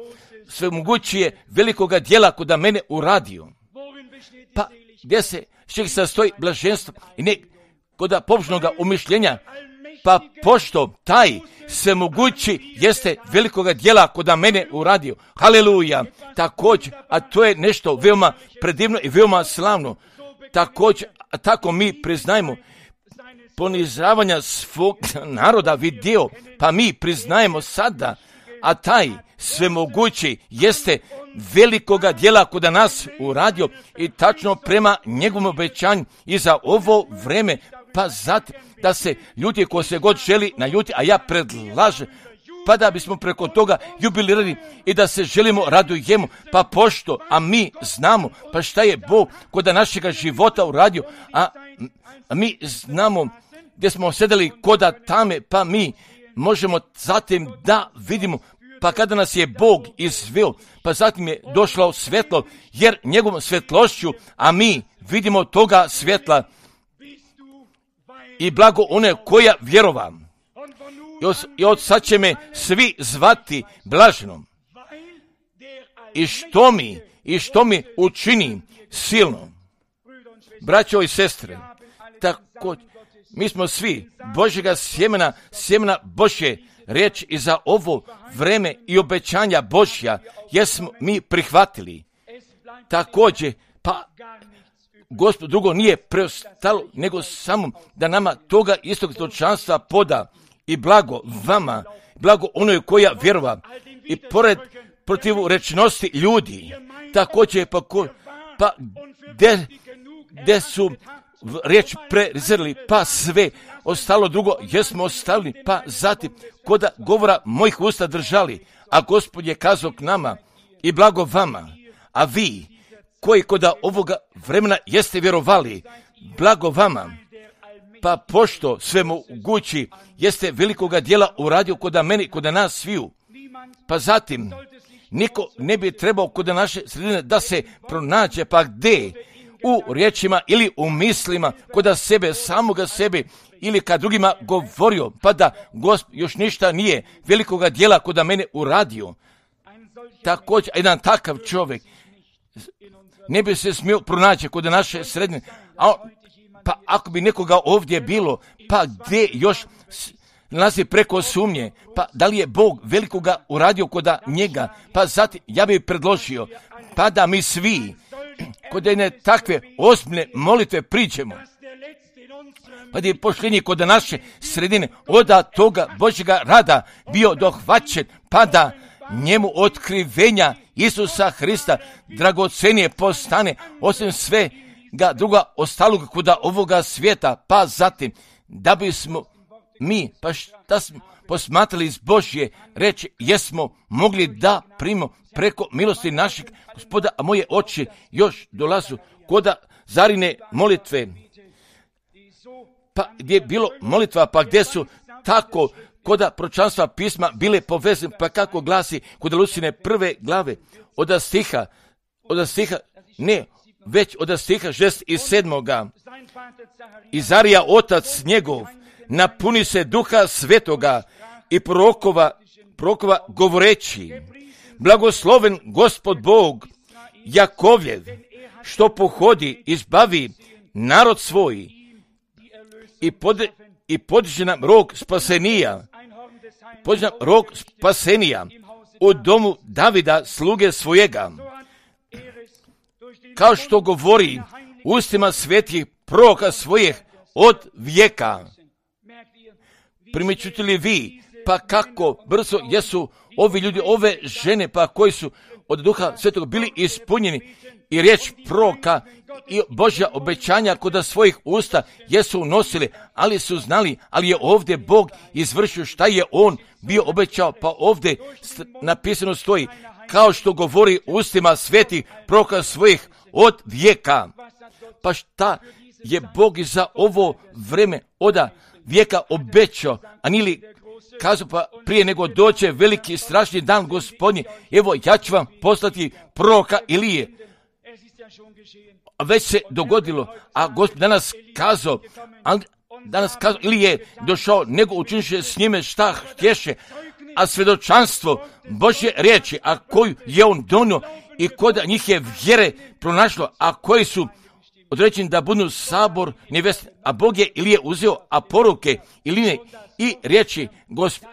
sve mogućije velikoga djela koda mene uradio. Pa gdje se čeg sastoji blaženstvo i ne koda pobožnoga umišljenja, pa pošto taj sve mogući jeste velikoga djela koda mene uradio. Haleluja! Također, a to je nešto veoma predivno i veoma slavno. Također, a tako mi priznajemo ponizravanja svog naroda vidio, pa mi priznajemo sada, a taj svemogući jeste velikoga djela koda nas uradio i tačno prema njegovom obećanju i za ovo vreme, pa zatim da se ljudi ko se god želi naljuti, a ja predlažem, pa da bismo preko toga jubilirali i da se želimo radujemo, pa pošto, a mi znamo, pa šta je Bog koda našega života uradio, a mi znamo gdje smo sedeli koda tame, pa mi možemo zatim da vidimo, pa kada nas je Bog izveo, pa zatim je došlo svjetlo, jer njegovom svjetlošću, a mi vidimo toga svjetla i blago one koja vjerova. I od sad će me svi zvati blaženom. I što mi učini silno. Braćo i sestre, tako mi smo svi Božjega sjemena Božje riječ i za ovo vreme i obećanja Božja jesmo mi prihvatili. Također, pa Gospod drugo nije preostalo nego samo da nama toga istog stočanstva poda i blago vama, blago onoj koja vjerova i pored protiv rečnosti ljudi. Također, pa gdje su riječ prezrli, pa sve ostalo drugo jesmo ostavili, pa zatim koda govora mojih usta držali, a Gospod je kazao k nama i blago vama, a vi koji koda ovoga vremena jeste vjerovali, blago vama, pa pošto sve mogući jeste velikoga djela uradio koda meni, koda nas sviju, pa zatim niko ne bi trebao koda naše sredine da se pronađe, pa gdje u riječima ili u mislima koda sebe, samoga sebe ili kad drugima govorio, pa da Gospod još ništa nije velikoga djela koda mene uradio. Također, jedan takav čovjek ne bi se smio pronaći kod naše sredine, pa ako bi nekoga ovdje bilo, pa gdje još nalazi preko sumnje, pa da li je Bog velikoga uradio kod njega, pa zatim ja bih predložio, pa da mi svi kod jedne takve ozbiljne molitve priđemo, pa da je pošljenje kod naše sredine od toga Božjega rada bio dohvaćen, pa da njemu otkrivenja Isusa Hrista dragocenije postane, osim svega druga ostalog kod ovoga svijeta, pa zatim da bismo mi, pa šta smo posmatrali iz Božje reči, jesmo mogli da primimo preko milosti našeg Gospoda, a moje oči još dolazu kod Zarine molitve, pa gdje je bilo molitva, pa gdje su tako kod proročanstva pisma bile povezane, pa kako glasi kod Lucine 1. glave, od stiha, ne, već od stiha 6. i 7. Izarija, otac njegov, napuni se Duha Svetoga i prorokova govoreći, blagosloven Gospod Bog Jakovljev, što pohodi, izbavi narod svoj i podiže nam rog spasenija u domu Davida, sluge svojega, kao što govori ustima svetih proroka svojih od vijeka. Primjećujete li vi, pa kako brzo jesu ovi ljudi, ove žene, pa koji su od Duha Svetog bili ispunjeni i riječ proroka i Božja obećanja kod svojih usta jesu unosili, ali su znali, ali je ovdje Bog izvršio šta je On bio obećao, pa ovdje napisano stoji, kao što govori ustima svetih proroka svojih od vijeka. Pa šta je Bog i za ovo vreme od vijeka obećao, a nili kazao, pa prije nego dođe veliki strašni dan Gospodnji, evo ja ću vam poslati proroka Ilije. Već se dogodilo, a Gospod danas kazao, ili je došao, nego učinše s njime šta htješe, a svjedočanstvo Božje riječi, a koju je on donio i kod njih je vjere pronašlo, a koji su određeni da budu sabor neveste, a Bog je ili je uzeo, a poruke Iline i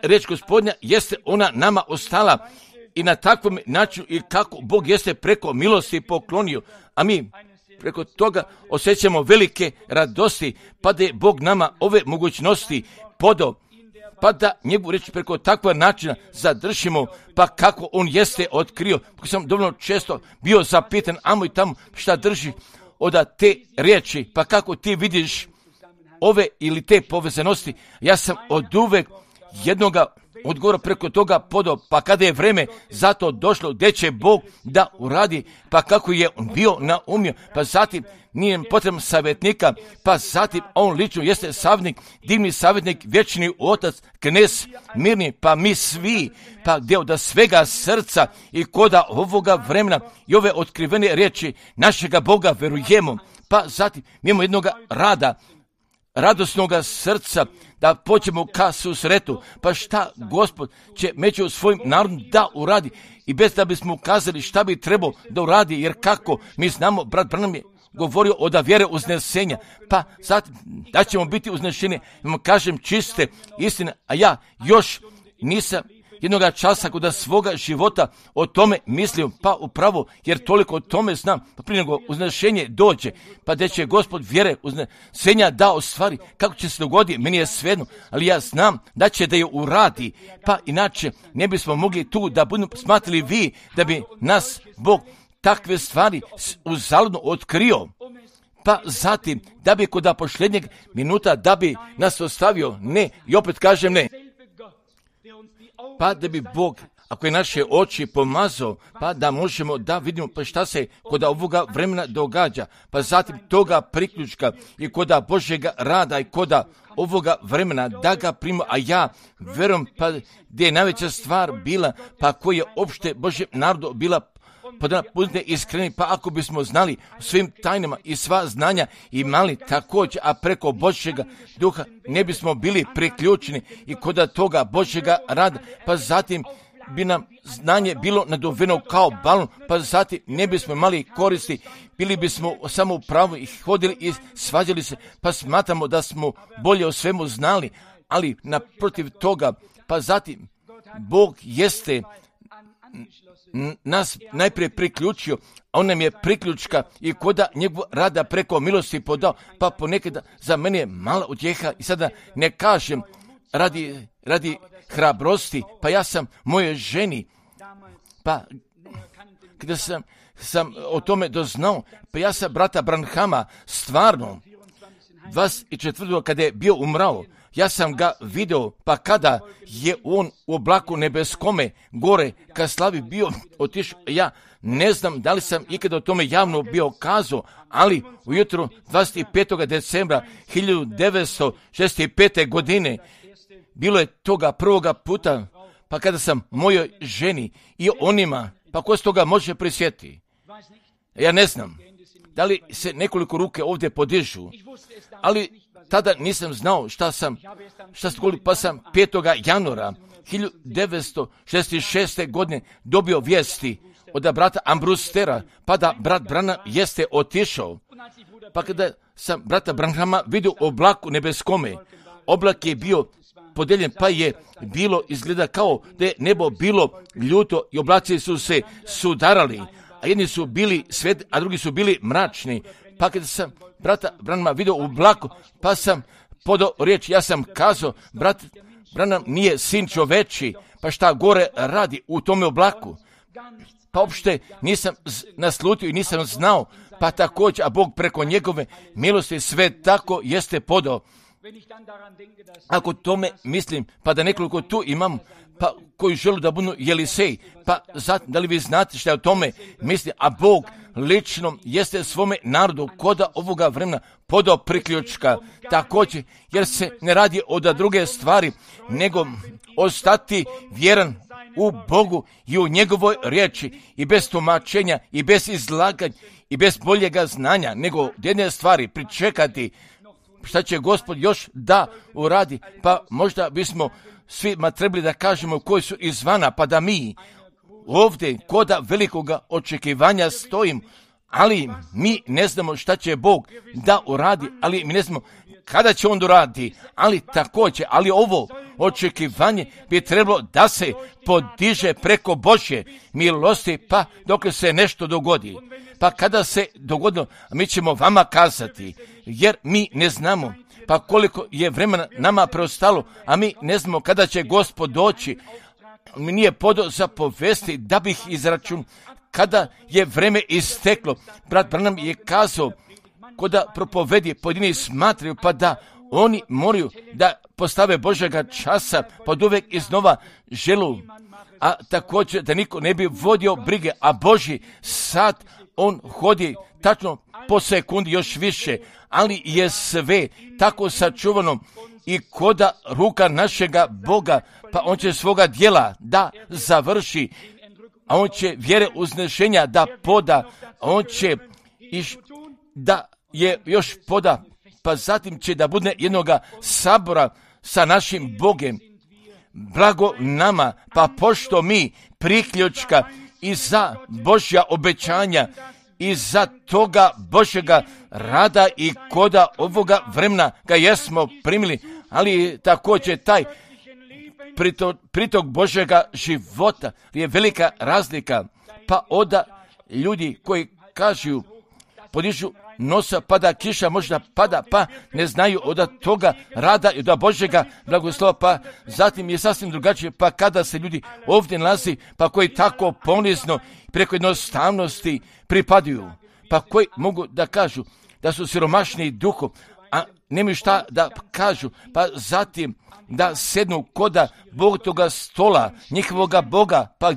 riječ Gospodnja jeste ona nama ostala i na takvom načinu i kako Bog jeste preko milosti poklonio, a mi preko toga osjećamo velike radosti, pa da je Bog nama ove mogućnosti podao, pa da njegovu reći preko takva načina zadržimo, pa kako on jeste otkrio. Kako sam dovoljno često bio zapitan, amo i tamo šta drži od te riječi, pa kako ti vidiš ove ili te povezanosti. Ja sam od uvek jednoga odgovora preko toga podao, pa kada je vreme za to došlo, gdje će Bog da uradi, pa kako je on bio naumio, pa zatim nije potreban savjetnika, pa zatim on lično jeste savjetnik, divni savjetnik, vječni otac, knez mirni, pa mi svi, pa gdje od svega srca i koda ovoga vremena i ove otkrivene riječi našega Boga verujemo, pa zatim mi imamo jednoga radosnoga srca, da pođemo ka susretu, pa šta Gospod će među svojim narodom da uradi i bez da bismo ukazali šta bi trebao da uradi, jer kako mi znamo, brat Branham je govorio od vjere uznesenja, pa zatim da ćemo biti uznešeni, kažem čiste istine, a ja još nisam jednoga časa kod svoga života o tome mislio, pa upravo, jer toliko o tome znam, pa prije nego uznešenje dođe, pa da će Gospod vjere uznesenja da ostvari, kako će se dogoditi, meni je svejedno, ali ja znam da će da je uradi, pa inače ne bismo mogli tu da budemo smatrali vi, da bi nas Bog takve stvari uzaludno otkrio, pa zatim da bi kod posljednjeg minuta da bi nas ostavio, ne, i opet kažem ne, pa da bi Bog, ako je naše oči pomazao, pa da možemo da vidimo pa šta se kod ovoga vremena događa, pa zatim toga priključka i kod Božjega rada i kod ovoga vremena da ga primo, a ja verujem pa gdje je najveća stvar bila, pa koji je opšte Božjem narodu bila podana budite iskreni, pa ako bismo znali svim tajnama i sva znanja imali također, a preko Božjega duha ne bismo bili priključeni i kod toga Božjega rada, pa zatim bi nam znanje bilo naduveno kao balon, pa zatim ne bismo imali koristi, bili bismo samo u pravu i hodili i svađali se, pa smatramo da smo bolje o svemu znali, ali naprotiv toga, pa zatim Bog jeste nas najprije priključio, a on nam je priključka i koda njegov rada preko milosti podao, pa ponekada za mene je mala utjeha i sada ne kažem radi hrabrosti, pa ja sam moje ženi, pa kada sam o tome doznao, pa ja sam brata Branhama stvarno 24. kada je bio umrao, ja sam ga video, pa kada je on u oblaku nebeskome gore ka slavi bio otišao, ja ne znam da li sam ikada o tome javno bio kazao, ali ujutro 25. decembra 1965. godine bilo je toga prvoga puta, pa kada sam mojoj ženi i onima, pa ko se toga može prisjetiti? Ja ne znam da li se nekoliko ruke ovdje podižu, ali tada nisam znao šta sam pa sam 5. januara 1966. godine dobio vijesti od brata Ambrustera, pa da brat Branham jeste otišao. Pa kada sam brata Branhama vidio u oblaku nebeskome, oblak je bio podeljen, pa je bilo izgleda kao da je nebo bilo ljuto i oblaci su se sudarali, a jedni su bili svetli, a drugi su bili mračni. Pa kada sam brata Branhama vidio u oblaku, pa sam podao riječ, ja sam kazao, brat Branham nije sin čoveči, pa šta gore radi u tome oblaku? Pa uopšte nisam naslutio i nisam znao, pa također, a Bog preko njegove milosti sve tako jeste podao. Ako tome mislim, pa da nekoliko tu imam, pa koji žele da budu Jelisej, pa zatim, da li vi znate šta je o tome misli, a Bog lično jeste svome narodu koda ovoga vremena podao priključka, također, jer se ne radi od druge stvari, nego ostati vjeran u Bogu i u njegovoj riječi i bez tumačenja i bez izlaganja i bez boljega znanja, nego jedne stvari pričekati šta će Gospod još da uradi, pa možda bismo svima trebali da kažemo koji su izvana, pa da mi ovdje koda velikoga očekivanja stojim, ali mi ne znamo šta će Bog da uradi, ali mi ne znamo kada će on uraditi, ali također, ali ovo očekivanje bi trebalo da se podiže preko Božje milosti, pa dok se nešto dogodi. Pa kada se dogodilo, mi ćemo vama kazati, jer mi ne znamo, pa koliko je vremena nama preostalo, a mi ne znamo kada će Gospod doći. Mi nije podao za povesti da bih izračun kada je vreme isteklo. Brat Branham je kazao, koda propovedi pojedini smatraju, pa da oni moraju da postave Božjega časa, pod uvijek iznova želu, a također da niko ne bi vodio brige, a Božji sad on hodi tačno po sekundi još više, ali je sve tako sačuvano i koda ruka našega Boga, pa on će svoga djela da završi, a on će vjere uznešenja da poda, a on će da je još poda, pa zatim će da bude jednoga sabora sa našim Bogem. Blago nama, pa pošto mi priključka i za Božja obećanja i za toga Božjega rada i koda ovoga vremena ga jesmo primili, ali također taj pritok Božjega života je velika razlika, pa onda ljudi koji kažu, podižu nosa, pada kiša, možda pada, pa ne znaju od toga rada i od Božjega blagoslova, pa zatim je sasvim drugačije, pa kada se ljudi ovdje nalazi, pa koji tako ponizno preko jednostavnosti pripadaju, pa koji mogu da kažu da su siromašni duhom, a nemaju šta da kažu, pa zatim da sednu koda Bog toga stola, njihovoga Boga, pa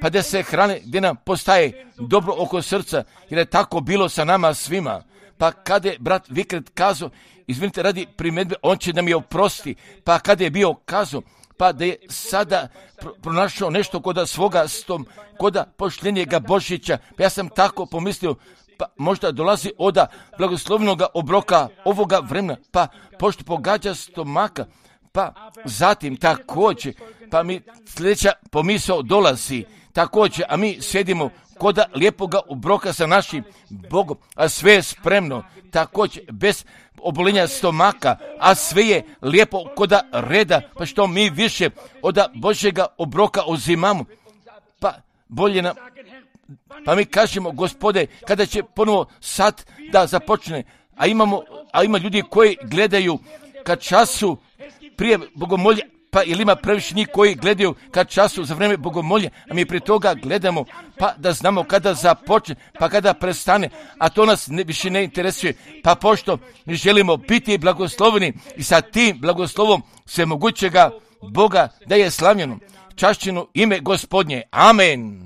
gdje se hrane, gdje nam postaje dobro oko srca, jer je tako bilo sa nama svima. Pa kada je brat Vikret kazao, izvinite radi primjedbe, on će da mi oprosti, pa kada je bio kazao, pa da je sada pronašao nešto koda svoga koda pošljenjega Božića, pa ja sam tako pomislio, pa možda dolazi od blagoslovnoga obroka ovoga vremena, pa pošto pogađa stomaka, pa zatim također, pa mi sljedeća pomisao dolazi, također, a mi sjedimo koda lijepoga obroka sa našim Bogom, a sve je spremno, također, bez obolenja stomaka, a sve je lijepo koda reda, pa što mi više od Božjega obroka uzimamo, pa bolje nam, pa mi kažemo, Gospode, kada će ponovo sad da započne, a ima ljudi koji gledaju kad času prije bogomolja, pa ili ima previše njih koji gledaju kad času za vrijeme bogomolja, a mi prije toga gledamo, pa da znamo kada započne, pa kada prestane, a to nas više ne interesuje, pa pošto mi želimo biti blagosloveni i sa tim blagoslovom svemogućega Boga da je slavljeno, čašćeno ime Gospodnje. Amen.